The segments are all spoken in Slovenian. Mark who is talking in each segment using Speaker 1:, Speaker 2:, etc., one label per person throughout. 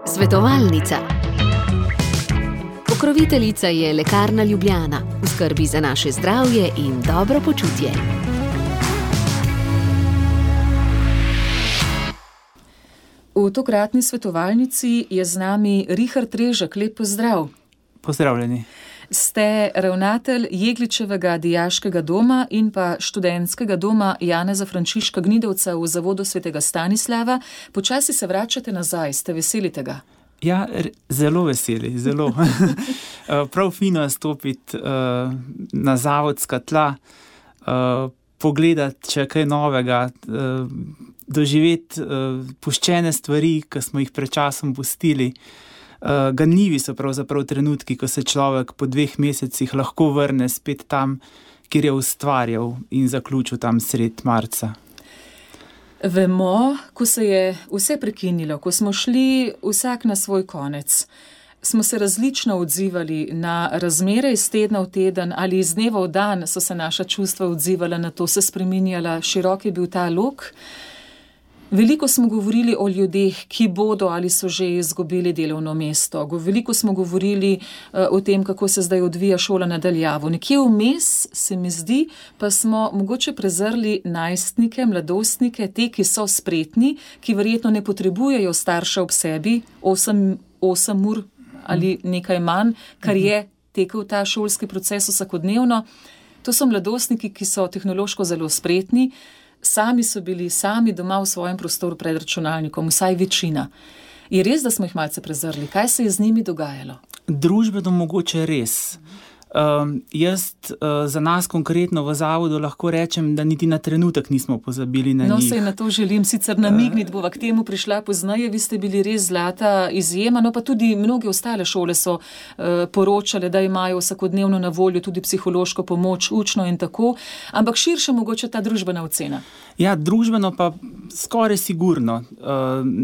Speaker 1: Svetovalnica. Pokroviteljica je Lekarna Ljubljana, v skrbi za naše zdravje in dobro počutje.
Speaker 2: V tokratni svetovalnici je z nami Richard Režek. Lep pozdrav.
Speaker 3: Pozdravljeni.
Speaker 2: Ste ravnatelj Jegličevega dijaškega doma in pa študentskega doma Janeza Frančiška Gnidovca v Zavodu Svetega Stanislava. Počasi se vračate nazaj, ste veseli tega?
Speaker 3: Ja, zelo veseli, zelo. Prav fino je stopiti na zavodska tla, pogledati, če je kaj novega, doživeti puščene stvari, ki smo jih pred časom pustili. Ganljivi so pravzaprav trenutki, ko se človek po 2 mesecih lahko vrne spet tam, kjer je ustvarjal in zaključil tam sred marca.
Speaker 2: Vemo, ko se je vse prekinilo, ko smo šli vsak na svoj konec, smo se različno odzivali na razmere iz tedna v teden ali iz dneva v dan, so se naša čustva odzivala na to, se spreminjala, širok je bil ta lok. Veliko smo govorili o ljudeh, ki bodo ali so že izgubili delovno mesto. Veliko smo govorili o tem, kako se zdaj odvija šola na daljavo. Nekje vmes, se mi zdi, pa smo mogoče prezrli najstnike, mladostnike, te, ki so spretni, ki verjetno ne potrebujejo starša ob sebi 8 ur ali nekaj manj, kar je tekel ta šolski proces vsakodnevno. To so mladostniki, ki so tehnološko zelo spretni, sami so bili doma v svojem prostoru pred računalnikom, vsaj večina. Je res, da smo jih malce prezrli? Kaj se je z njimi dogajalo?
Speaker 3: Družbeno mogoče res. Jaz za nas konkretno v zavodu lahko rečem, da niti na trenutek nismo pozabili na njih.
Speaker 2: No, se na to želim sicer namigniti, bova k temu prišla pozneje, vi ste bili res zlata izjema, no pa tudi mnoge ostale šole so poročale, da imajo vsakodnevno na voljo tudi psihološko pomoč, učno in tako, ampak širše mogoče ta družbena ocena.
Speaker 3: Ja, družbeno pa skoraj sigurno.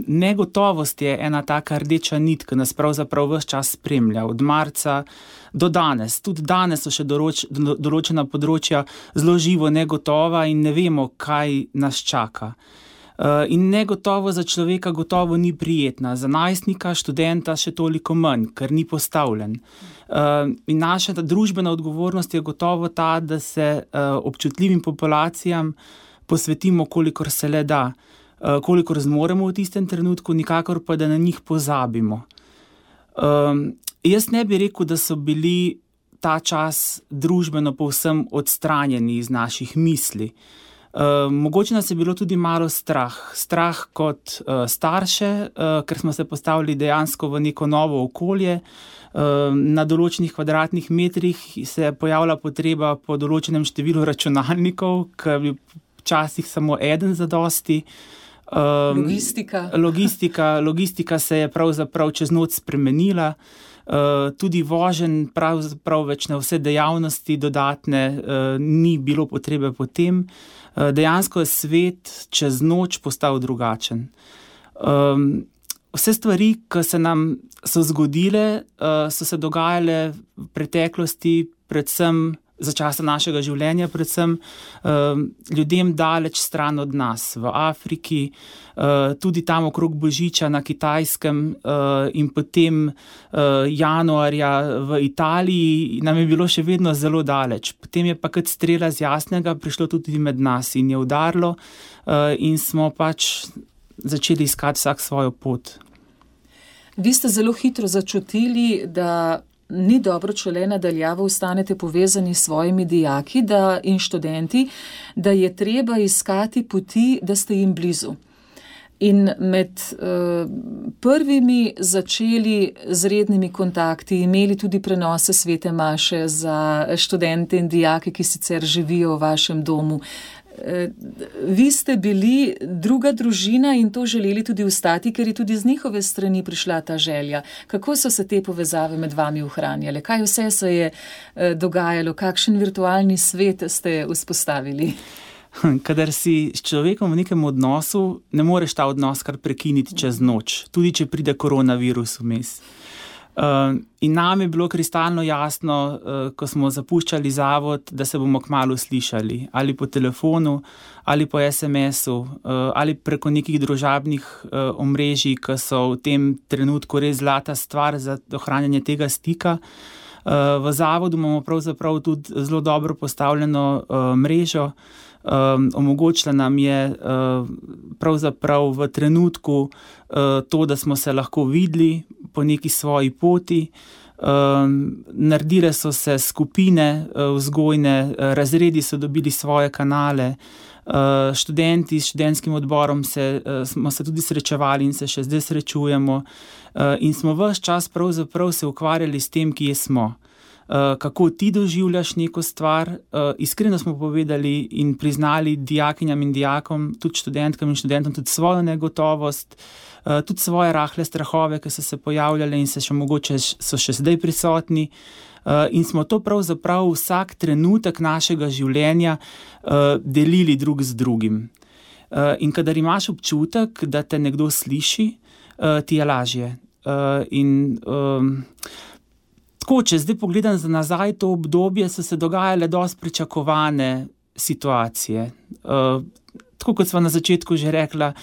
Speaker 3: Negotovost je ena taka rdeča nit, ki nas pravzaprav ves čas spremlja, od marca do danes. Tudi danes so še določena področja zelo živo negotova in ne vemo, kaj nas čaka. In negotovo za človeka gotovo ni prijetna, za najstnika, študenta še toliko manj, ker ni postavljen. In naša družbena odgovornost je gotovo ta, da se občutljivim populacijam posvetimo, kolikor se le da, kolikor zmoremo v tistem trenutku, nikakor pa, da na njih pozabimo. Jaz ne bi rekel, da so bili ta čas družbeno povsem odstranjeni iz naših misli. Mogoče nas je bilo tudi malo strah. Strah kot starše, ker smo se postavili dejansko v neko novo okolje. Na določenih kvadratnih metrih se je pojavila potreba po določenem številu računalnikov, ker bi včasih samo eden zadosti. Logistika se je pravzaprav čez noč spremenila. Tudi voženj pravzaprav več na vse dejavnosti dodatne ni bilo potrebe po tem. Dejansko je svet čez noč postal drugačen. Vse stvari, ki se nam so zgodile, so se dogajale v preteklosti, predvsem za časa našega življenja, predvsem ljudem daleč stran od nas, v Afriki, tudi tam okrog Božiča na Kitajskem in potem januarja v Italiji nam je bilo še vedno zelo daleč. Potem je pa kot strela z jasnega prišlo tudi med nas in je udarilo in smo pač začeli iskati vsak svojo pot.
Speaker 2: Vi ste zelo hitro začutili, da ni dobro, če le nadaljavo ostanete povezani s svojimi dijaki in študenti, da je treba iskati poti, da ste jim blizu. In med prvimi začeli z rednimi kontakti, imeli tudi prenose svete maše za študente in dijake, ki sicer živijo v vašem domu. Vi ste bili druga družina in to želeli tudi ostati, ker je tudi z njihove strani prišla ta želja. Kako so se te povezave med vami ohranjale? Kaj vse se je dogajalo? Kakšen virtualni svet ste vzpostavili?
Speaker 3: Kadar si s človekom v nekem odnosu, ne moreš ta odnos kar prekiniti čez noč, tudi če pride koronavirus vmes. In nam je bilo kristalno jasno, ko smo zapuščali zavod, da se bomo kmalu slišali, ali po telefonu, ali po SMS-u, ali preko nekih družabnih omrežij, ki so v tem trenutku res zlata stvar za ohranjanje tega stika. V zavodu imamo pravzaprav tudi zelo dobro postavljeno mrežo. Omogočila nam je pravzaprav v trenutku to, da smo se lahko videli po neki svoji poti. Naredile so se skupine vzgojne, razredi so dobili svoje kanale, študenti s študentskim odborom smo se tudi srečevali in se še zdaj srečujemo in smo ves čas pravzaprav se ukvarjali s tem, kje smo. Kako ti doživljaš neko stvar, iskreno smo povedali in priznali dijakinjam in dijakom, tudi študentkam in študentom, tudi svojo negotovost, tudi svoje rahle strahove, ki so se pojavljale in so še zdaj prisotni. In smo to pravzaprav vsak trenutek našega življenja delili drug z drugim. In kadar imaš občutek, da te nekdo sliši, ti je lažje. Tako, če zdaj pogledam za nazaj to obdobje, so se dogajale dosti pričakovane situacije. Tako kot sva na začetku že rekla,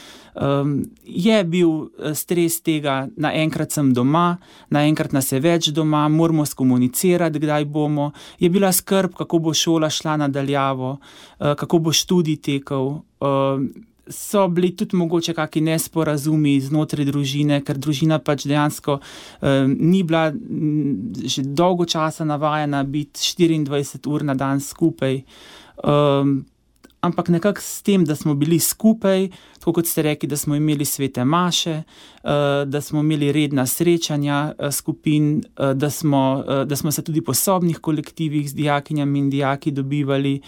Speaker 3: je bil stres tega, naenkrat sem doma, naenkrat nas je več doma, moramo skomunicirati, kdaj bomo. Je bila skrb, kako bo šola šla nadaljavo, kako bo študij tekel. So bili tudi mogoče kakšni nesporazumi znotraj družine, ker družina pač dejansko ni bila že dolgo časa navajena biti 24 ur na dan skupaj. Ampak nekako s tem, da smo bili skupaj, tako kot ste rekli, da smo imeli svete maše, da smo imeli redna srečanja skupin, da smo se tudi po sobnih kolektivih z dijakinjami in dijaki dobivali,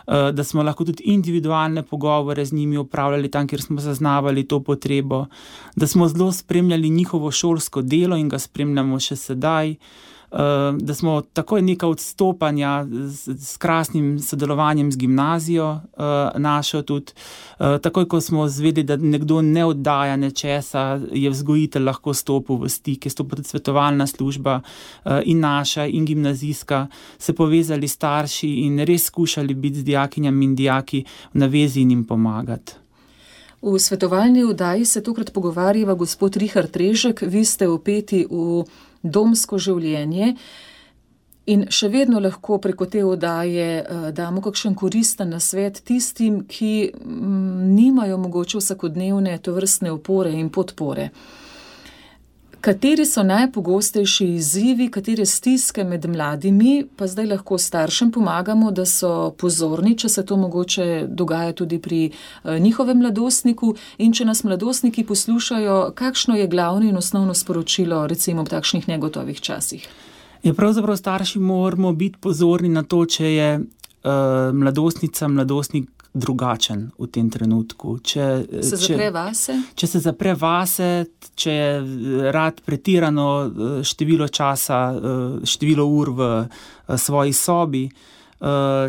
Speaker 3: da smo lahko tudi individualne pogovore z njimi opravljali tam, kjer smo zaznavali to potrebo, da smo zelo spremljali njihovo šolsko delo in ga spremljamo še sedaj, da smo takoj neka odstopanja s krasnim sodelovanjem z gimnazijo našo tudi. Takoj, ko smo zvedeli, da nekdo ne oddaja nečesa, je vzgojitelj lahko stopil v stik, je stopila tudi svetovalna služba in naša in gimnazijska, se povezali starši in res skušali biti z dijakinjami in dijaki v navezi in jim pomagati.
Speaker 2: V svetovalni oddaji se tokrat pogovarjava gospod Richard Režek, vi ste vpeti v domsko življenje in še vedno lahko preko te oddaje damo kakšen koristen nasvet tistim, ki nimajo mogoče vsakodnevne tovrstne opore in podpore. Kateri so najpogostejši izzivi, katere stiske med mladimi, pa zdaj lahko staršem pomagamo, da so pozorni, če se to mogoče dogaja tudi pri njihovem mladostniku in če nas mladostniki poslušajo, kakšno je glavno in osnovno sporočilo recimo v takšnih negotovih časih?
Speaker 3: Pravzaprav starši moramo biti pozorni na to, če je mladostnica, mladostnik drugačen v tem trenutku. Če se zapre vase, če je rad pretirano število časa, število ur v svoji sobi,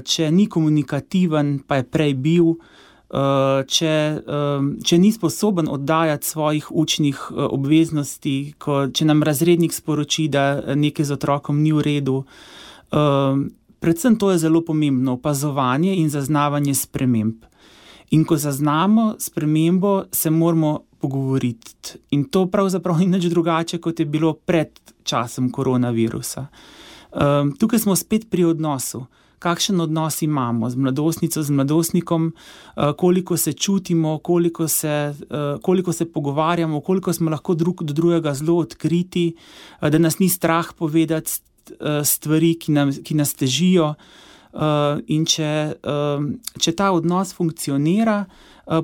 Speaker 3: če ni komunikativen, pa je prej bil, če ni sposoben oddajati svojih učnih obveznosti, če nam razrednik sporoči, da nekaj z otrokom ni v redu. Predvsem to je zelo pomembno, opazovanje in zaznavanje sprememb. In ko zaznamo spremembo, se moramo pogovoriti. In to pravzaprav ni nič drugače, kot je bilo pred časom koronavirusa. Tukaj smo spet pri odnosu. Kakšen odnos imamo z mladostnico, z mladostnikom, koliko se čutimo, koliko se pogovarjamo, koliko smo lahko drug do drugega zelo odkriti, da nas ni strah povedati stvari, ki nas težijo, in če ta odnos funkcionira,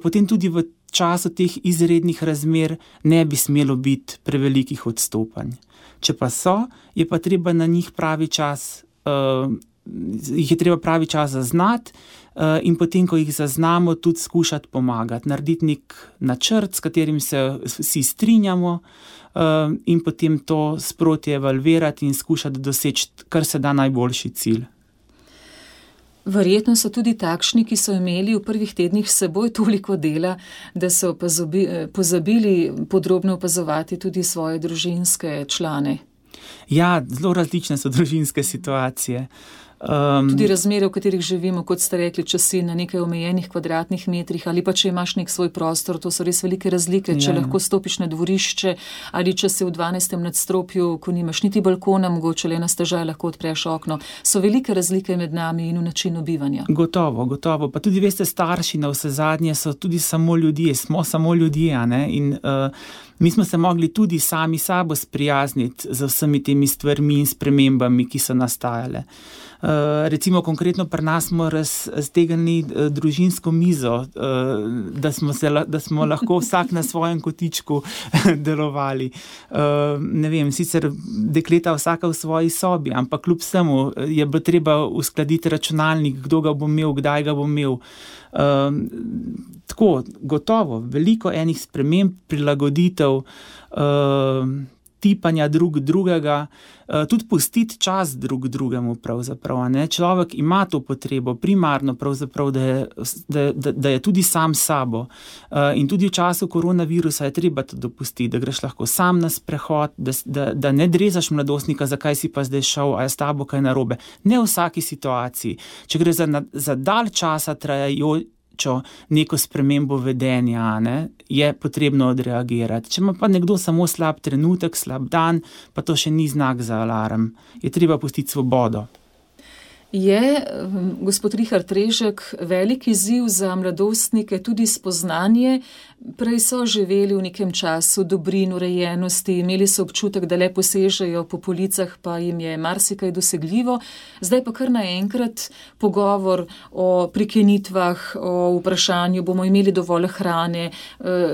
Speaker 3: potem tudi v času teh izrednih razmer ne bi smelo biti prevelikih odstopanj. Če pa so, je pa treba na njih pravi čas zaznati in potem, ko jih zaznamo, tudi skušati pomagati, narediti nek načrt, s katerim se vsi strinjamo, in potem to sproti evalvirati in skušati doseči kar se da najboljši cilj.
Speaker 2: Verjetno so tudi takšni, ki so imeli v prvih tednih s seboj toliko dela, da so pozabili podrobno opazovati tudi svoje družinske člane.
Speaker 3: Ja, zelo različne so družinske situacije.
Speaker 2: Tudi razmere, v katerih živimo, kot ste rekli, če si na nekaj omejenih kvadratnih metrih ali pa če imaš nek svoj prostor, to so res velike razlike, če lahko stopiš na dvorišče ali če si v 12. nadstropju, ko nimaš niti balkona, mogoče le na stežaj lahko odpreš okno. So velike razlike med nami in v načinu bivanja.
Speaker 3: Gotovo. Pa tudi veste, starši na vse zadnje so tudi samo ljudje, smo samo ljudje, a ne? In mi smo se mogli tudi sami sabo sprijazniti z vsemi temi stvarmi in spremembami, ki so nastajale. Recimo konkretno pri nas smo raztegnili družinsko mizo, da smo lahko vsak na svojem kotičku delovali. Ne vem, sicer dekleta vsaka v svoji sobi, ampak kljub vsemu je bilo treba uskladiti računalnik, kdo ga bo imel, kdaj ga bo imel. Tako, gotovo, veliko enih sprememb, prilagoditev, tipanja drugega, tudi pustiti čas drugemu pravzaprav, ne? Človek ima to potrebo primarno pravzaprav, da je tudi sam sabo. In tudi v času koronavirusa je treba to dopustiti, da greš lahko sam na sprehod, da ne drezaš mladostnika, zakaj si pa zdaj šel, a je s tabo kaj narobe. Ne v vsaki situaciji. Če gre za dalj časa trajajočo neko spremembo vedenja, ne, je potrebno odreagirati. Če ima pa nekdo samo slab trenutek, slab dan, pa to še ni znak za alarm. Je treba pustiti svobodo.
Speaker 2: Je, gospod Richard Režek, velik izziv za mladostnike tudi spoznanje. Prej so živeli v nekem času dobrin, urejenosti, imeli so občutek, da le posežejo po policah, pa jim je marsikaj dosegljivo. Zdaj pa kar naenkrat pogovor o prikenitvah, o vprašanju, bomo imeli dovolj hrane,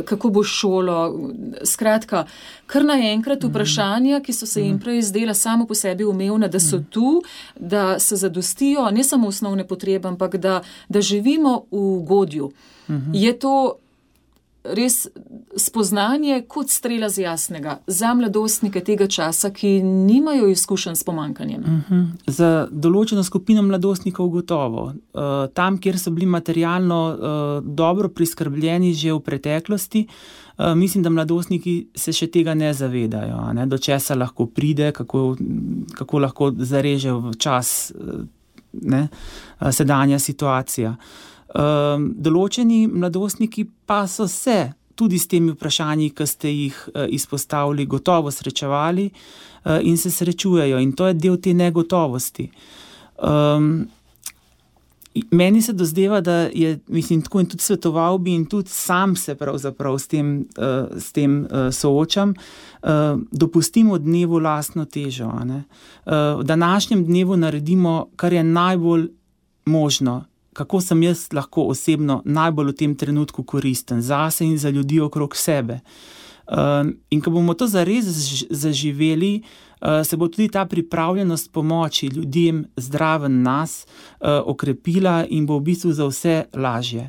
Speaker 2: kako bo šolo. Skratka, kar naenkrat vprašanja, ki so se jim prej zdela samo po sebi umevna, da so tu, da se zadostijo, ne samo osnovne potrebe, ampak da živimo v ugodju. Je to res spoznanje kot strela z jasnega za mladostnike tega časa, ki nimajo izkušenj s pomanjkanjem?
Speaker 3: Za določeno skupino mladostnikov gotovo. Tam, kjer so bili materialno dobro priskrbljeni že v preteklosti, mislim, da mladostniki se še tega ne zavedajo, ne? Do česa lahko pride, kako lahko zareže v čas, ne? Sedanja situacija. Določeni mladostniki pa so se tudi s temi vprašanji, ki ste jih izpostavili, gotovo srečevali in se srečujejo. In to je del te negotovosti. Meni se dozdeva, da je, mislim, tako in tudi svetoval bi in tudi sam se pravzaprav s tem soočam, dopustimo dnevu lastno težo. Ne? V današnjem dnevu naredimo, kar je najbolj možno, kako sem jaz lahko osebno najbolj v tem trenutku koristen zase in za ljudi okrog sebe. In ko bomo to zares zaživeli, se bo tudi ta pripravljenost pomoči ljudem zraven nas okrepila in bo v bistvu za vse lažje.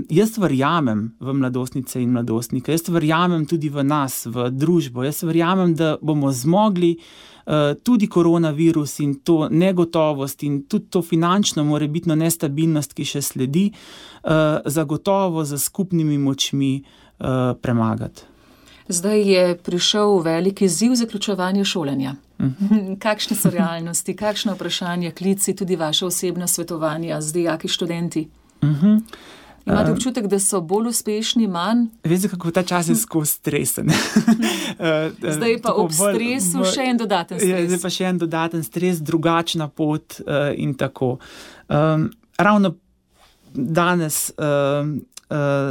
Speaker 3: Jaz verjamem v mladostnice in mladostnike, jaz verjamem tudi v nas, v družbo, jaz verjamem, da bomo zmogli tudi koronavirus in to negotovost in tudi to finančno morebitno nestabilnost, ki še sledi, zagotovo za skupnimi močmi premagati.
Speaker 2: Zdaj je prišel velik izziv zaključevanja šolanja. Kakšne so realnosti, kakšne vprašanja, klici, tudi vaše osebna svetovanja z dijaki, študenti? Imate občutek, da so bolj uspešni, manj?
Speaker 3: Veste, kako ta čas je skozi stresen.
Speaker 2: Zdaj pa ob stresu še en dodaten stres.
Speaker 3: Zdaj pa še en dodaten stres, drugačna pot in tako. Ravno danes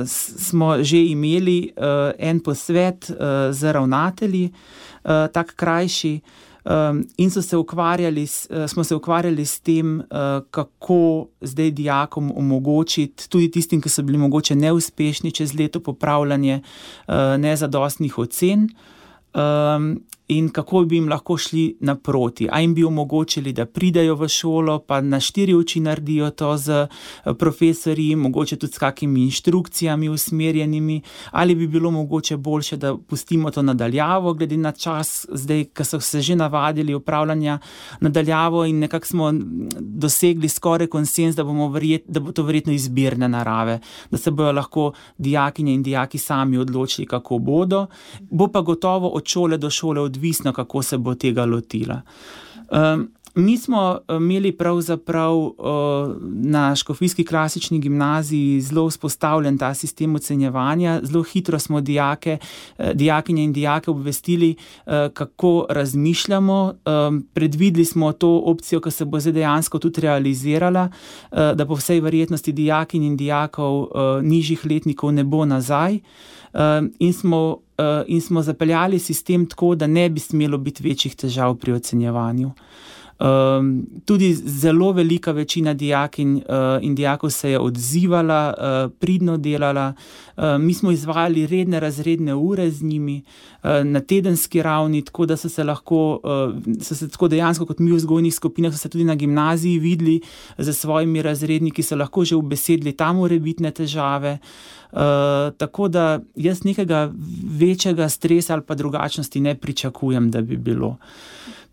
Speaker 3: smo že imeli en posvet z ravnatelji, tak krajši, in smo se ukvarjali s tem, kako zdaj dijakom omogočiti, tudi tistim, ki so bili mogoče neuspešni čez leto popravljanje nezadostnih ocen, in kako bi jim lahko šli naproti. A jim bi omogočili, da pridejo v šolo, pa na 4 oči naredijo to z profesorji, mogoče tudi s kakimi inštrukcijami usmerjenimi, ali bi bilo mogoče boljše, da pustimo to nadaljavo, glede na čas, zdaj, ko so se že navadili upravljanja nadaljavo in nekako smo dosegli skoraj konsens, da bo to verjetno izbirne narave, da se bojo lahko dijakinje in dijaki sami odločili, kako bodo. Bo pa gotovo od šole do šole odvisno, odvisno, kako se bo tega lotila. Mi smo imeli pravzaprav na Škofijski klasični gimnaziji zelo vzpostavljen ta sistem ocenjevanja. Zelo hitro smo dijakinje in dijake obvestili, kako razmišljamo. Predvideli smo to opcijo, ki se bo zdaj dejansko tudi realizirala, da po vsej verjetnosti dijakinj in dijakov nižjih letnikov ne bo nazaj. In smo zapeljali sistem tako, da ne bi smelo biti večjih težav pri ocenjevanju. Tudi zelo velika večina dijakinj in dijakov se je odzivala, pridno delala. Mi smo izvajali redne razredne ure z njimi na tedenski ravni, tako da so se tako dejansko kot mi v vzgojnih skupinah so se tudi na gimnaziji videli za svojimi razredniki, so lahko že ubesedili tam morebitne težave. Tako da jaz nekega večjega stresa ali pa drugačnosti ne pričakujem, da bi bilo.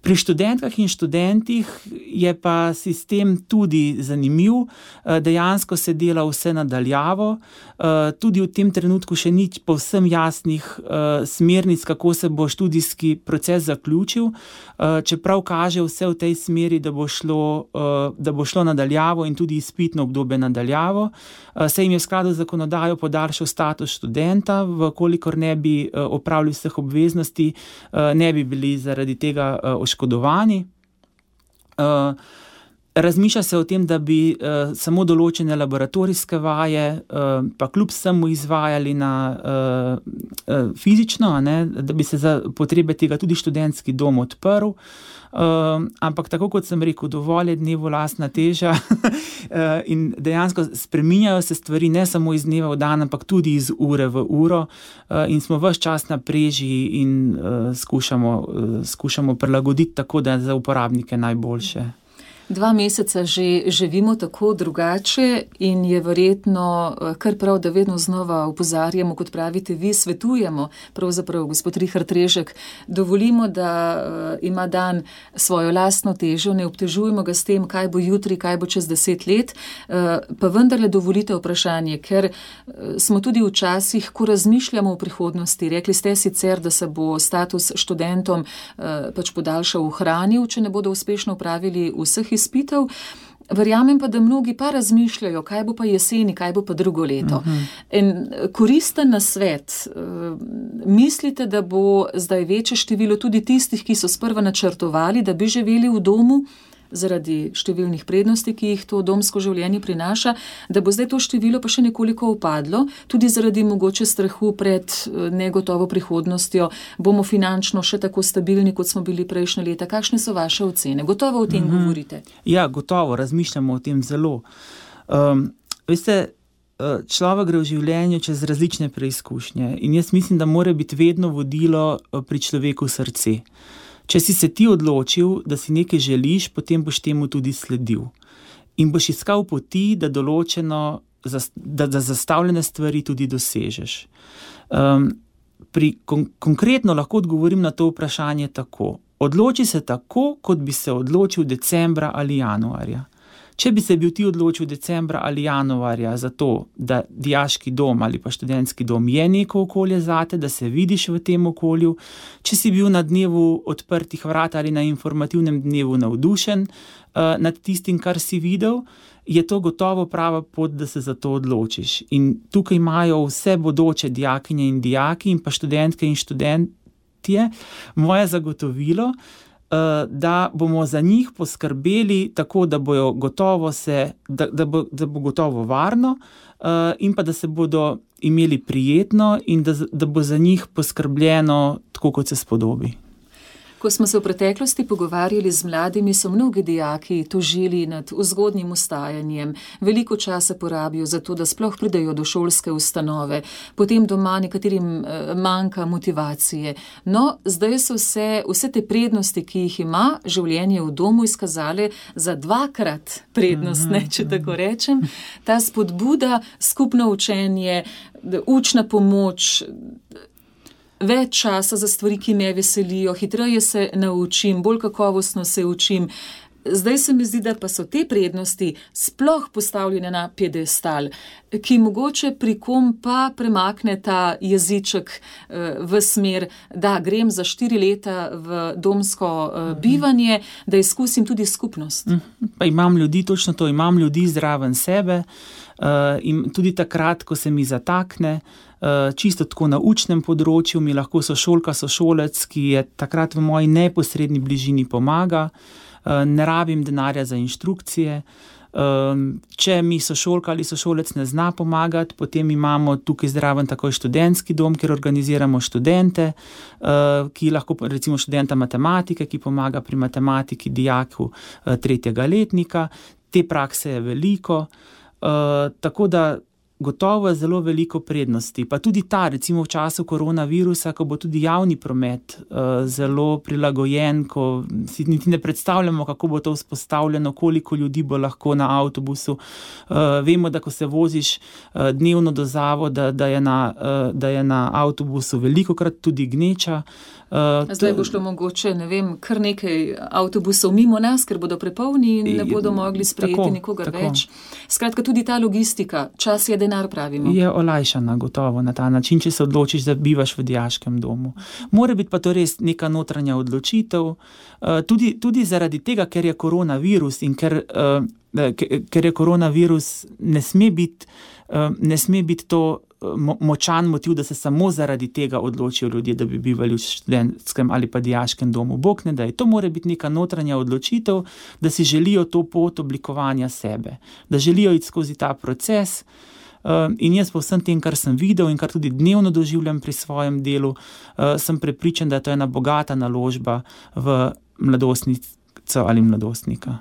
Speaker 3: Pri študentkah in študentih je pa sistem tudi zanimiv, dejansko se dela vse nadaljavo, tudi v tem trenutku še ni povsem jasnih smernic, kako se bo študijski proces zaključil, čeprav kaže vse v tej smeri, da bo šlo nadaljavo in tudi izpitno obdobje nadaljavo. Se jim je v skladu z zakonodajo podaljšal status študenta, vkolikor ne bi opravili vseh obveznosti, ne bi bili zaradi tega oškodovani. Razmišlja se o tem, da bi samo določene laboratorijske vaje pa kljub vsemu izvajali fizično, da bi se za potrebe tega tudi študentski dom odprl. Ampak tako kot sem rekel, dovolj je dnevu lastna teža in dejansko spreminjajo se stvari ne samo iz dneva v dan, ampak tudi iz ure v uro in smo ves čas na preži in skušamo prilagoditi tako, da je za uporabnike najboljše.
Speaker 2: 2 meseca že živimo tako drugače in je verjetno kar prav, da vedno znova opozarjamo, kot pravite vi, svetujemo, pravzaprav gospod Richard Režek, dovolimo, da ima dan svojo lastno težo, ne obtežujemo ga s tem, kaj bo jutri, kaj bo čez 10 let, pa vendarle dovolite vprašanje, ker smo tudi včasih, ko razmišljamo o prihodnosti, rekli ste sicer, da se bo status študentom pač podaljšal, ohranil, če ne bodo uspešno upravili vseh izpitev. Verjamem pa, da mnogi pa razmišljajo, kaj bo pa jeseni, kaj bo pa drugo leto. In koristen nasvet, mislite, da bo zdaj večje število tudi tistih, ki so sprva načrtovali, da bi živeli v domu, zaradi številnih prednosti, ki jih to domsko življenje prinaša, da bo zdaj to število pa še nekoliko upadlo, tudi zaradi mogoče strahu pred negotovo prihodnostjo, bomo finančno še tako stabilni, kot smo bili prejšnje leta. Kakšne so vaše ocene? Gotovo o tem govorite.
Speaker 3: Ja, gotovo, razmišljamo o tem zelo. Veste, človek gre v življenju čez različne preizkušnje in jaz mislim, da mora biti vedno vodilo pri človeku srce. Če si se ti odločil, da si nekaj želiš, potem boš temu tudi sledil. In boš iskal poti, da zastavljene stvari tudi dosežeš. Konkretno lahko odgovorim na to vprašanje tako. Odloči se tako, kot bi se odločil decembra ali januarja. Če bi se bil ti odločil decembra ali januarja za to, da dijaški dom ali pa študentski dom je neko okolje zate, da se vidiš v tem okolju, če si bil na dnevu odprtih vrat ali na informativnem dnevu navdušen nad tistim, kar si videl, je to gotovo prava pot, da se za to odločiš. In tukaj imajo vse bodoče dijakinje in dijaki in pa študentke in študentje moje zagotovilo, da bomo za njih poskrbeli tako, da bo gotovo varno in pa da se bodo imeli prijetno in da bo za njih poskrbljeno tako, kot se spodobi.
Speaker 2: Ko smo se v preteklosti pogovarjali z mladimi, so mnogi dijaki tožili nad vzgodnjim vstajanjem, veliko časa porabijo za to, da sploh pridejo do šolske ustanove, potem doma nekaterim manjka motivacije. No, zdaj so vse te prednosti, ki jih ima življenje v domu, izkazale za 2-krat prednostne, če tako rečem. Ta spodbuda, skupno učenje, učna pomoč, več časa za stvari, ki me veselijo, hitreje se naučim, bolj kakovostno se učim. Zdaj se mi zdi, da pa so te prednosti sploh postavljene na piedestal, ki mogoče pri kom pa premakne ta jeziček v smer, da grem za 4 leta v domsko bivanje, da izkusim tudi skupnost.
Speaker 3: Pa imam ljudi, točno to, imam ljudi zraven sebe in tudi takrat, ko se mi zatakne, čisto tako na učnem področju, mi lahko sošolka, sošolec, ki je takrat v moji neposredni bližini pomaga, ne rabim denarja za inštrukcije. Če mi sošolka ali sošolec ne zna pomagati, potem imamo tukaj zraven takoj študentski dom, kjer organiziramo študente, ki lahko, recimo študenta matematike, ki pomaga pri matematiki dijaku 3. letnika. Te prakse je veliko, tako da gotovo je zelo veliko prednosti. Pa tudi ta, recimo v času koronavirusa, ko bo tudi javni promet zelo prilagojen, ko si niti ne predstavljamo, kako bo to vzpostavljeno, koliko ljudi bo lahko na avtobusu. Vemo, da ko se voziš dnevno do zavoda, da je na avtobusu velikokrat tudi gneča.
Speaker 2: Zdaj bo šlo mogoče, ne vem, kar nekaj avtobusov mimo nas, ker bodo prepolni in ne bodo mogli sprejeti nikogar več. Skratka, tudi ta logistika, čas je denar, pravimo.
Speaker 3: Je olajšana gotovo na ta način, če se odločiš, da bivaš v dijaškem domu. Mora biti pa to res neka notranja odločitev, tudi zaradi tega, ker je koronavirus in ker je koronavirus, ne sme biti to močan motiv, da se samo zaradi tega odločijo ljudje, da bi bivali v študentskem ali pa dijaškem domu. Bog ne daj. To mora biti neka notranja odločitev, da si želijo to pot oblikovanja sebe, da želijo iti skozi ta proces. In jaz po vsem tem, kar sem videl in kar tudi dnevno doživljam pri svojem delu, sem prepričan, da je to ena bogata naložba v mladostnico ali mladostnika.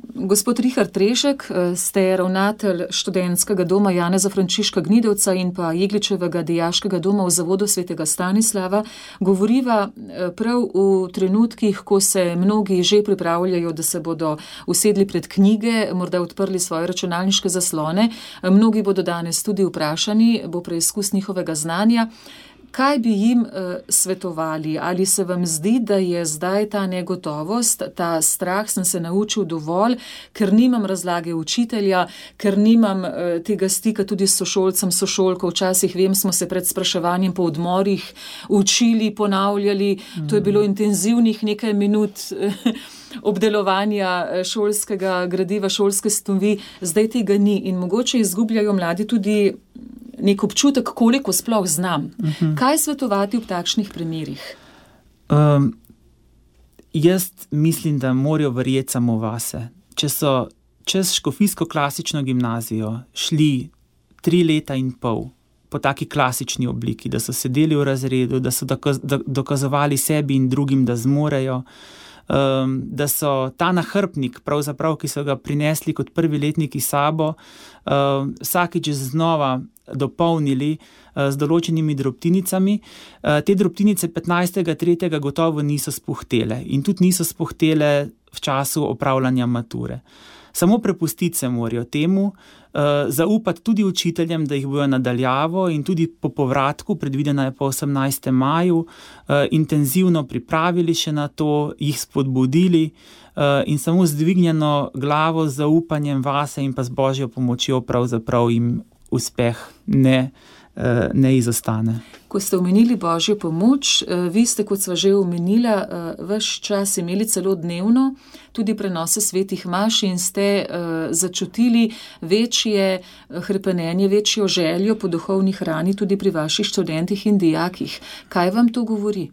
Speaker 2: Gospod Richard Trešek, ste ravnatelj študentskega doma Janeza Frančiška Gnidovca in pa Jegličevega dijaškega doma v Zavodu svetega Stanislava. Govoriva prav v trenutkih, ko se mnogi že pripravljajo, da se bodo usedli pred knjige, morda odprli svoje računalniške zaslone. Mnogi bodo danes tudi vprašani, bo preizkus njihovega znanja. Kaj bi jim svetovali? Ali se vam zdi, da je zdaj ta negotovost, ta strah, sem se naučil dovolj, ker nimam razlage učitelja, ker nimam tega stika tudi s sošolcem, sošolko. Včasih vem, smo se pred spraševanjem po odmorih učili, ponavljali, to je bilo intenzivnih nekaj minut obdelovanja šolskega gradiva, šolske snovi, zdaj tega ni in mogoče izgubljajo mladi tudi nek občutek, koliko sploh znam. Kaj svetovati v takšnih primerih?
Speaker 3: Jaz mislim, da morajo verjeti samo vase. Če so čez škofijsko klasično gimnazijo šli 3 leta in pol po taki klasični obliki, da so sedeli v razredu, da so dokazovali sebi in drugim, da zmorejo, da so ta nahrbnik, pravzaprav, ki so ga prinesli kot prvi letniki sabo, vsakič znova dopolnili z določenimi drobtinicami. Te drobtinice 15.3. gotovo niso spuhtele in tudi niso spuhtele v času opravljanja mature. Samo prepustiti se morajo temu, zaupati tudi učiteljem, da jih bojo nadaljavo in tudi po povratku, predvidena je po 18. maju, intenzivno pripravili še na to, jih spodbudili in samo z dvignjeno glavo, z zaupanjem vase in pa z Božjo pomočjo pravzaprav jim uspeh ne izostane.
Speaker 2: Ko ste omenili Božjo pomoč, vi ste, kot sva že omenila, ves čas imeli celo dnevno tudi prenose svetih maš in ste začutili večje hrepenenje, večjo željo po duhovni hrani tudi pri vaših študentih in dijakih. Kaj vam to govori?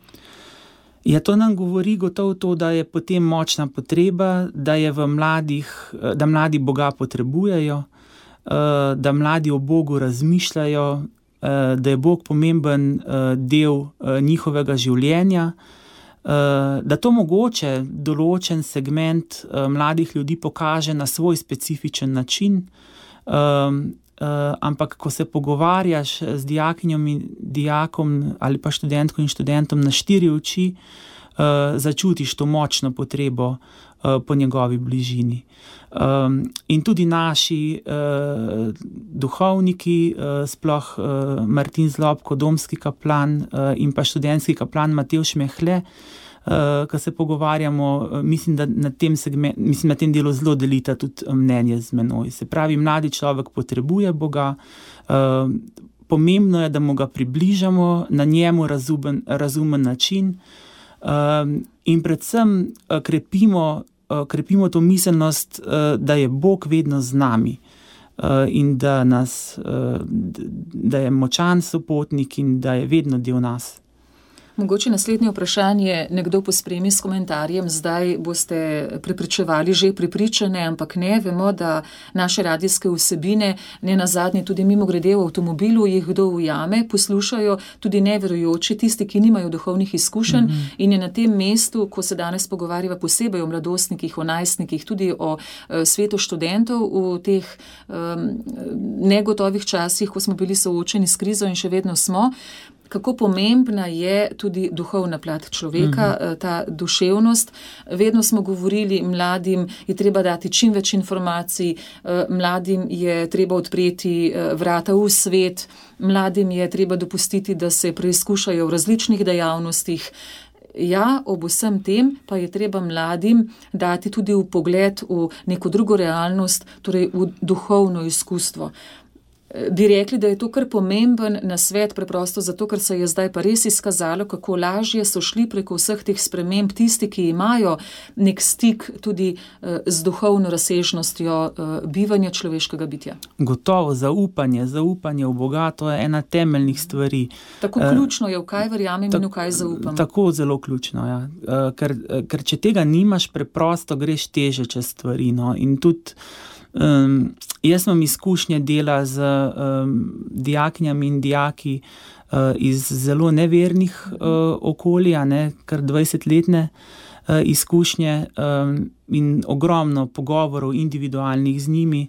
Speaker 3: Ja, to nam govori gotovo to, da je potem močna potreba, da je da mladi Boga potrebujejo, da mladi o Bogu razmišljajo, da je Bog pomemben del njihovega življenja, da to mogoče določen segment mladih ljudi pokaže na svoj specifičen način, ampak ko se pogovarjaš z dijakinjom in dijakom ali pa študentko in študentom na 4 oči, začutiš to močno potrebo po njegovi bližini. In tudi naši duhovniki, sploh Martin Zlobko, domski kaplan in pa študentski kaplan Matevž Mehle, ko se pogovarjamo, mislim, da na tem delu zelo delita tudi mnenje z menoj. Se pravi, mladi človek potrebuje Boga, pomembno je, da mu ga približamo na njemu razumen način, in predvsem krepimo to miselnost, da je Bog vedno z nami, in da je močan sopotnik in da je vedno del nas.
Speaker 2: Mogoče naslednje vprašanje nekdo pospremi s komentarjem, zdaj boste prepričevali že prepričane, ampak ne, vemo, da naše radijske vsebine, ne nazadnje tudi mimogrede v avtomobilu, jih kdo ujame, poslušajo tudi neverujoči, tisti, ki nimajo duhovnih izkušenj, in je na tem mestu, ko se danes pogovarjava posebej o mladostnikih, o najstnikih, tudi o svetu študentov v teh negotovih časih, ko smo bili soočeni s krizo in še vedno smo, kako pomembna je tudi duhovna plat človeka, ta duševnost. Vedno smo govorili, mladim je treba dati čim več informacij, mladim je treba odpreti vrata v svet, mladim je treba dopustiti, da se preizkušajo v različnih dejavnostih. Ja, ob vsem tem pa je treba mladim dati tudi vpogled v neko drugo realnost, torej v duhovno izkustvo. Bi rekli, da je to kar pomemben nasvet, preprosto zato, ker se je zdaj pa res izkazalo, kako lažje so šli preko vseh teh sprememb tisti, ki imajo nek stik tudi z duhovno razsežnostjo bivanja človeškega bitja.
Speaker 3: Gotovo, zaupanje v Boga, to je ena temeljnih stvari.
Speaker 2: Tako ključno je, v kaj verjamem in v kaj zaupam.
Speaker 3: Tako zelo ključno, ja. Ker če tega nimaš, preprosto greš teže čez stvari, no. In tudi jaz imam izkušnje dela z dijakinjami in dijaki iz zelo nevernih okolij, kar 20-letne izkušnje, in ogromno pogovorov individualnih z njimi,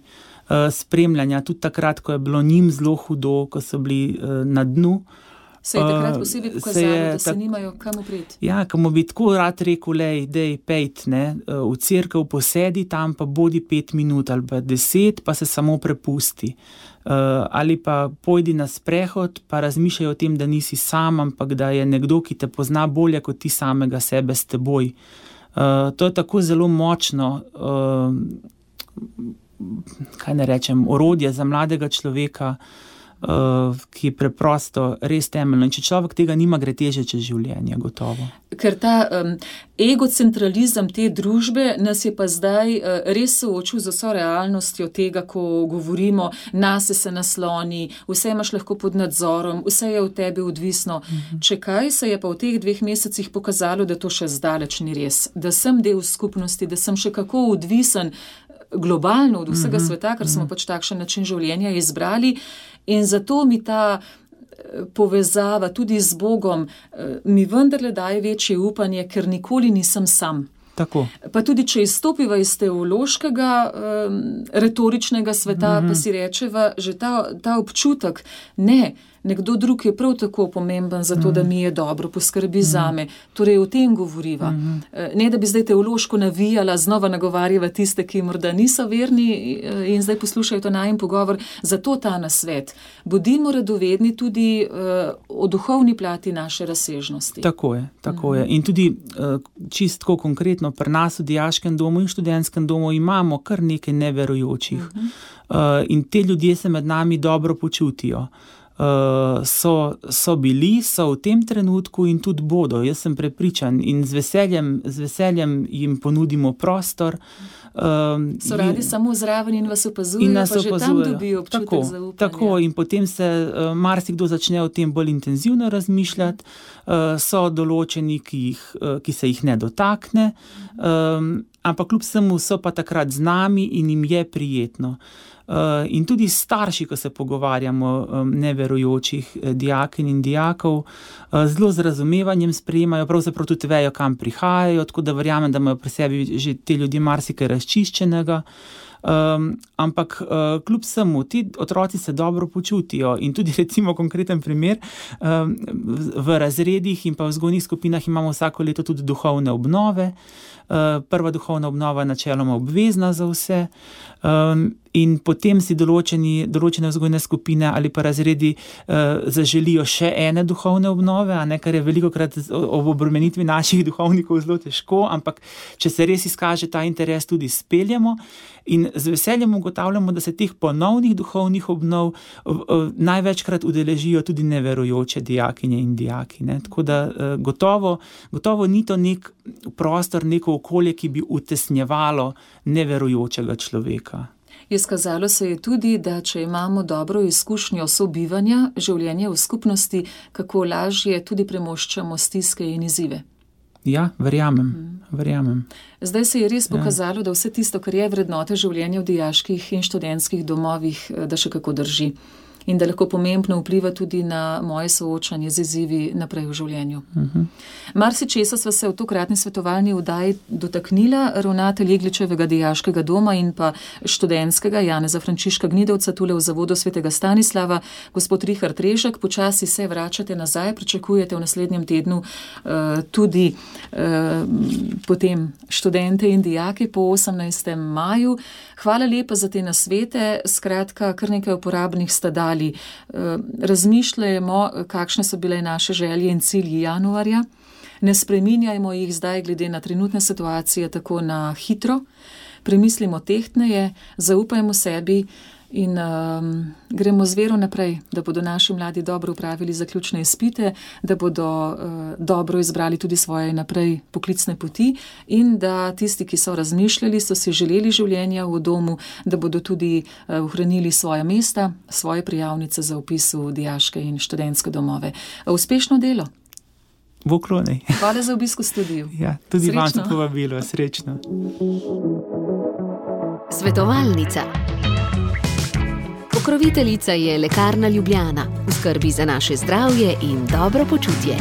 Speaker 3: spremljanja, tudi takrat, ko je bilo njim zelo hudo, ko so bili na dnu.
Speaker 2: Se je takrat posebej pokazalo, da se nimajo kam upreti.
Speaker 3: Ja, ko mu bi tako rad rekel, dej pejt, v cerkev posedi tam, pa bodi 5 minut ali pa 10, pa se samo prepusti. Ali pa pojdi na sprehod, pa razmišljaj o tem, da nisi sam, ampak da je nekdo, ki te pozna bolje kot ti samega sebe s teboj. To je tako zelo močno, kaj ne rečem, orodje za mladega človeka, ki je preprosto res temeljno. In če človek tega nima, gre teže čez življenje, gotovo.
Speaker 2: Ker ta egocentralizem te družbe nas je pa zdaj res soočil z vso realnostjo tega, ko govorimo, nase se nasloni, vse imaš lahko pod nadzorom, vse je od tebe odvisno. Če kaj, se je pa v teh 2 mesecih pokazalo, da to še zdaleč ni res. Da sem del skupnosti, da sem še kako odvisen globalno od vsega sveta, ker smo pač takšen način življenja izbrali. In zato mi ta povezava tudi z Bogom mi vendarle daje večje upanje, ker nikoli nisem sam.
Speaker 3: Tako.
Speaker 2: Pa tudi, če izstopiva iz teološkega, retoričnega sveta, pa si rečeva, že ta občutek, nekdo drug je prav tako pomemben za to, da mi je dobro, poskrbi zame. Torej, o tem govoriva. Ne, da bi zdaj teološko navijala, znova nagovarjava tiste, ki morda niso verni in zdaj poslušajo to najin pogovor. Zato ta nasvet. Bodimo radovedni tudi o duhovni plati naše razsežnosti.
Speaker 3: Tako je. In tudi čistko konkretno pri nas v dijaškem domu in študentskem domu imamo kar nekaj neverujočih. In te ljudje se med nami dobro počutijo. So bili, so v tem trenutku in tudi bodo, jaz sem prepričan, in z veseljem jim ponudimo prostor.
Speaker 2: So radi samo zraven in vas opazujejo, pa že tam dobijo občutek zaupanja.
Speaker 3: Tako, in potem se marsikdo začne o tem bolj intenzivno razmišljati, so določeni, ki se jih ne dotakne, ampak kljub vsemu so pa takrat z nami in jim je prijetno. In tudi starši, ko se pogovarjamo neverujočih dijakinj in dijakov, zelo z razumevanjem sprejemajo, pravzaprav tudi vejo, kam prihajajo, tako da verjamem, da imajo pri sebi že te ljudje marsikaj razčiščenega. ampak kljub vsemu, ti otroci se dobro počutijo in tudi recimo konkreten primer, v razredih in pa v vzgojnih skupinah imamo vsako leto tudi duhovne obnove. Prva duhovna obnova je načeloma obvezna za vse, in potem si določene vzgojne skupine ali pa razredi zaželijo še ene duhovne obnove, a ne, kar je velikokrat ob obremenitvi naših duhovnikov zelo težko, ampak če se res izkaže ta interes, tudi speljemo in z veseljem ugotavljamo, da se teh ponovnih duhovnih obnov največkrat udeležijo tudi neverujoče dijakinje in dijaki, ne. Tako da gotovo ni to nek prostor, neko okolje, ki bi utesnjevalo neverujočega človeka.
Speaker 2: Izkazalo se je tudi, da če imamo dobro izkušnjo sobivanja, življenja v skupnosti, kako lažje tudi premoščamo stiske in izzive.
Speaker 3: Ja, verjamem.
Speaker 2: Zdaj se je res pokazalo, da vse tisto, kar je vrednote življenja v dijaških in študentskih domovih, da še kako drži. In da lahko pomembno vpliva tudi na moje soočanje z izzivi naprej v življenju. Marsičesa sva se v tokratni svetovalni oddaji dotaknila. Ravnatelj Jegličevega dijaškega doma in pa študentskega Janeza Frančiška Gnidovca tule v Zavodu svetega Stanislava, gospod Richard Režek, počasi se vračate nazaj, pričakujete v naslednjem tednu tudi potem študente in dijake po 18. maju. Hvala lepa za te nasvete, skratka, kar nekaj uporabnih sta dali. Razmišljajmo, kakšne so bile naše želje in cilji januarja. Ne spreminjajmo jih zdaj glede na trenutne situacije tako na hitro. Premislimo tehtneje, zaupajmo sebi in gremo z vero naprej, da bodo naši mladi dobro upravili zaključne izpite, da bodo dobro izbrali tudi svoje naprej poklicne poti in da tisti, ki so razmišljali, so si želeli življenja v domu, da bodo tudi ohranili svoja mesta, svoje prijavnice za vpis v dijaške in študentske domove. Uspešno delo!
Speaker 3: V oklonej.
Speaker 2: Hvala za obisk v studiu.
Speaker 3: Ja, tudi vam za povabilo, srečno.
Speaker 1: Svetovalnica. Pokroviteljica je Lekarna Ljubljana, v skrbi za naše zdravje in dobro počutje.